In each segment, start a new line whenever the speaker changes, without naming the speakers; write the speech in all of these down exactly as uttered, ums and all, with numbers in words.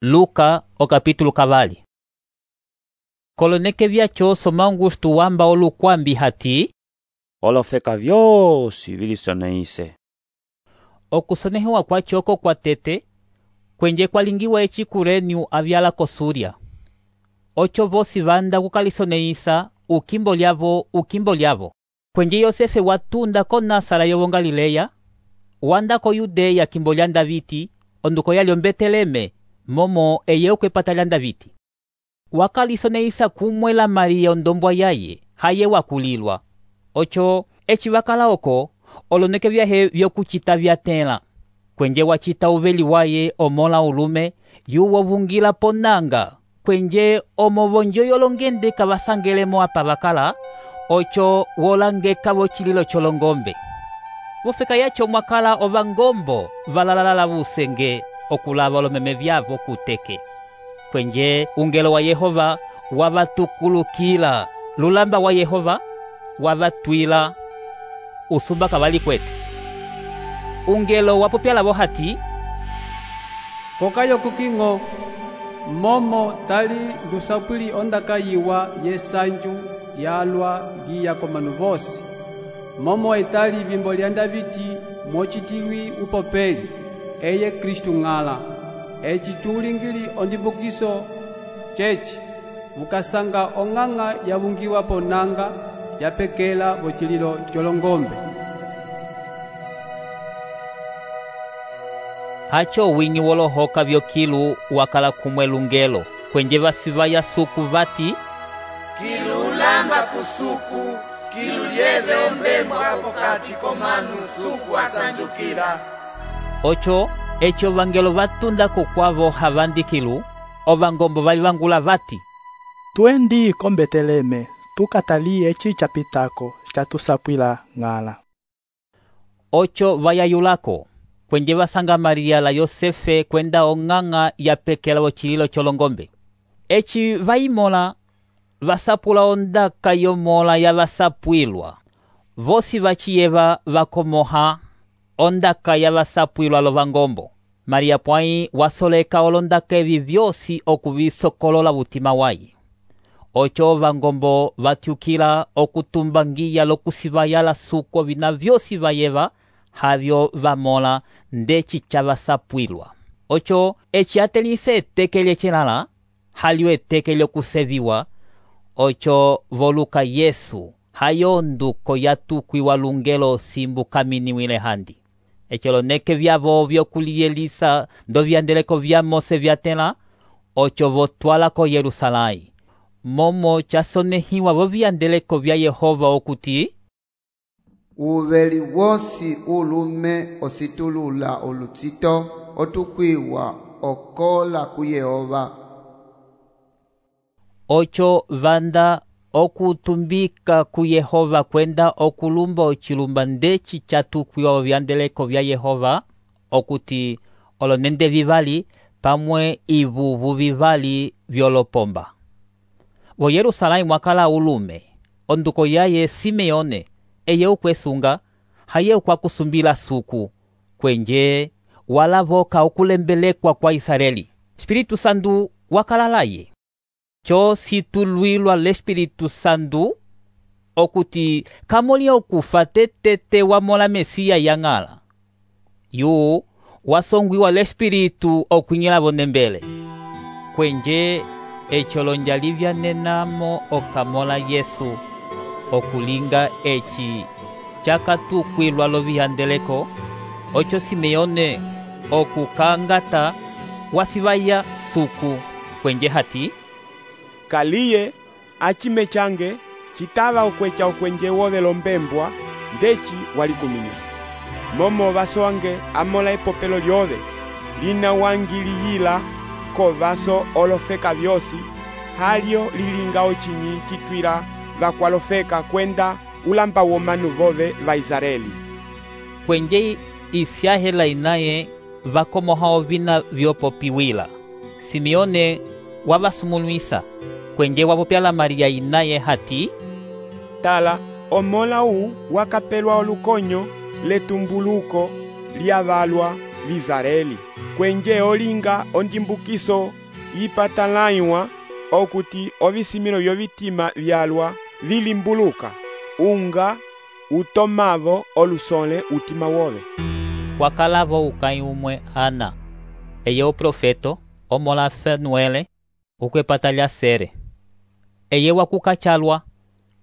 Luka o capítulo cavali. Koloneke vyacho soma Augusto wamba olukwambi hati
olofeka vyosi vilisonehise.
Okusonehiwa kwachoko kwa tete kwenje kwalingiwa eci Kurenio avyala ko Súria. Ocho vosi vanda kukalisonehisa ukimbo lyavo ukimbo lyavo. Kwenje Yosefe watunda ko Nasara yovo Galileya, wanda ko Yudeya kimbo lya Daviti, onduko yalyo Beteleme, momo eye ukwepata lya Daviti. Wakalisonehisa kumwela Maria ondombwa yaye, haye wakulilwa. Ocho, eci wakala oko, oloneke vyahe vyokuchita vyatela. Kwenje wachita uveli waye omola ulume, yuwo vungila ponanga, kwenje omovonjo yolongende kawasangelemo apa wakala, ocho wolangeka vochililo cholongombe. Vofeka yacho mwakala ovangombo valalalala vusenge okulava olomeme vyavo kuteke. Kwenje ungelo wa Yehova wavatukulukila, lulamba wa Yehova wavatwila usumba kavali kwete. Ungelo wapopyala vohati
kokayo kukingo momo tali lusapwili ondaka yiwa yesanju yalwa giya komanu vosi, momo etali vimbo lya Daviti mochitilwi upopeli eye Kristu ng'ala. Eci chulingili ondimbukiso ceci vukasanga ong'ang'a yavungiwa ponanga yapekela vochililo cholongombe.
Hacho winyi wolohoka vyokilu wakala kumwe lungelo kwenje vasivaya suku vati
kilu ulamba kusuku kilu lyeve ombembwa pokati komanu suku asanjukila.
Ocho echo vangelo vatunda kukwavo havandikilu ovangombo vali vangula vati
twendi ko Beteleme tukatalie eci chapitako chatusapwila ng'ala.
Ocho vayayulako kwenje vasanga Maria la Yosefe kwenda ong'ang'a yapekela vochililo cholongombe. Eci vaimola vasapula ondaka yomola ya vasapwilwa. Vosi vachiyeva vakomoha ondaka ya vasapwilwa lovangombo. Maria pwai wasoleka olondaka evi vyosi okuvisokolola vutima wayi. Ocho vangombo vatyukila okutumbangiya lokusivayala suko vina vyosi vayeva havyo vamola ndeci cha vasapwilwa. Ocho eci atelise eteke lyechelala halyo eteke lyokuseviwa. Ocho voluka Yesu hayo nduko yatukwiwa lungelo simbu kaminiwile handi. Echo loneke vyavo vyokuliyelisa ndo vyandeleko vya Mose vyatela. Ocho votwala ko Yerusalai, momo chasonehiwa vo vyandeleko vya Yehova okuti
uveli wosi ulume ositulula olutsito otukwiwa okola ku Yehova.
Ocho vanda okutumbika ku Yehova kwenda okulumba ochilumba ndeci chatukwiwa vyandeleko vya Yehova okuti olonende vivali pamwe ivuvu vivali vyolopomba. Vo Yerusalai mwakala ulume onduko yaye Simeone eye ukwesunga haye ukwakusumbila suku kwenje walavoka okulembelekwa kwa Israeli. Espiritu Sandu wakalalaye. Cho situlwilwa l'Espiritu Sandu okuti kamoli okufa tetete wamola Mesia yang'ala. Yu wasongwiwa l'Espiritu okwinyela vonembele. Kwenje echo lonjalivya nenamo okamola Yesu okulinga eci chakatukwilwa lovihandeleko. Ocho Simeone okukangata wasivaya suku kwenje hati
kaliye achime change chitava okwecha okwenje wovelo mbembwa ndeci walikuminya. Momo vasoange amola epopelo lyove lina wangiliyila ko vaso olofeka vyosi halyo lilinga ochinyi chitwila vakwalofeka kwenda ulamba womanu vove va Israeli.
Kwenje isiahela inaye vakomoha ovina vyopopiwila. Simeone wavasumulwisa kwenje wapopyala Maria inaye hati
tala omola u wakapelwa olukonyo letumbuluko lyavalwa l'Israeli. kwenje olinga ondimbukiso ipatalaywa okuti ovisimilo vyovitima vyalwa vilimbuluka unga utomavo olusole utima wove.
Wakalavo ukai umwe Ana, eye o profeto omola Fenuele ukwepata sere. Eye wakukachalwa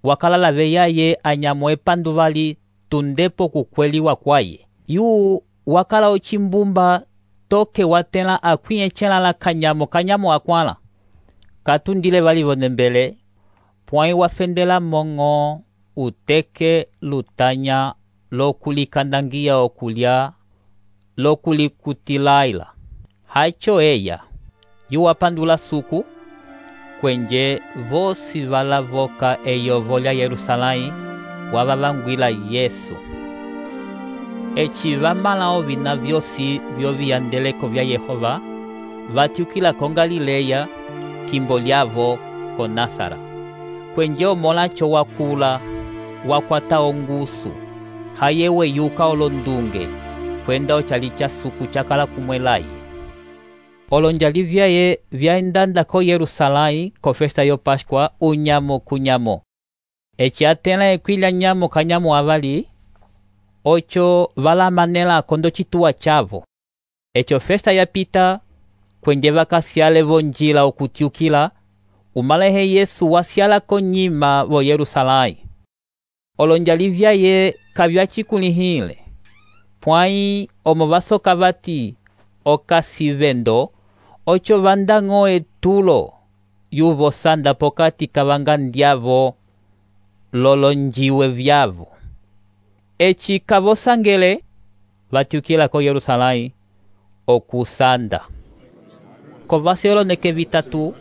wakalala veyaye anyamo epanduvali tundepo kukweliwa kwaye. Yu wakala ochimbumba toke watela akwiyechela la kanyamo kanyamo akwala. Katundile vali vonembele pwai wafendela mongo uteke lutanya lokulikandangia okulya lokulikutilaila. Hacho eya yu wapandula suku kwenje vosi valavoka eyo volya Yerusalai wavavangwila Yesu. Echi vamala ovina vyosi vyoviyandeleko vya Yehova vatyukila ko Galileya kimbo lyavo ko Nasara. Kwenje omolacho wakula wakwata ongusu hayewe yuka olondunge kwenda ochalicha suku chakala kumwelaye. Olonjali vyaye vyaendanda ko Yerusalai ko festa yo Pashkwa unyamo kunyamo. Echi atela ekwila nyamo kanyamo avali ocho vala manela kondo chituwa chavo. Echo festa ya pita kwenje vakasiale vonjila okutyukila umalehe Yesu wasiala konyima vo Yerusalai. Olonjali vyaye kavyachikulihile pwai omo vasoka vati okasivendo ocho vandango etulo yuvo sanda pokati kavangandiavo lolonjiwe vyavo. Echi kavosangele vatyukila ko Yerusalai okusanda. Kovasioloneke vitatu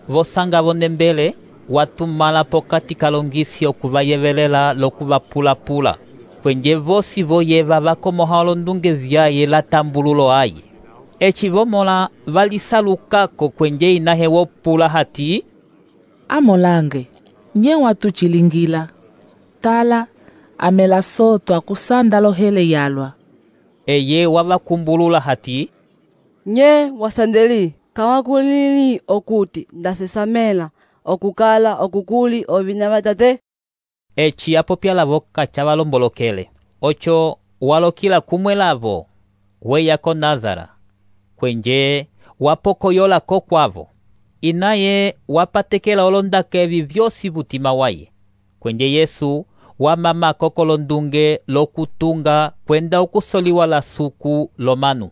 vosanga vonembele watumala pokati kalongisi okuvayevelela lokuvapula-pula. Kwenje vosi voyeva vakomoha olondunge vyaye latambululo aye. Echi vomola valisalukako kwenje inahe wopula hati
amolange nye watuchilingila tala amela soto akusanda lohele yalwa.
Eye wavakumbulula hati
nye wasandeli kawakulili okuti ndasesamela okukala okukuli ovina vatate.
Echi apopyalavo kachavalombolokele ocho walokila kumwelavo weya ko Nazara kwenje wapokoyola ko kwavo. Inaye wapatekela olondaka evi vyosi vutima waye. Kwenje Yesu wamama kokolondunge lokutunga kwenda okusoliwa la suku lomanu.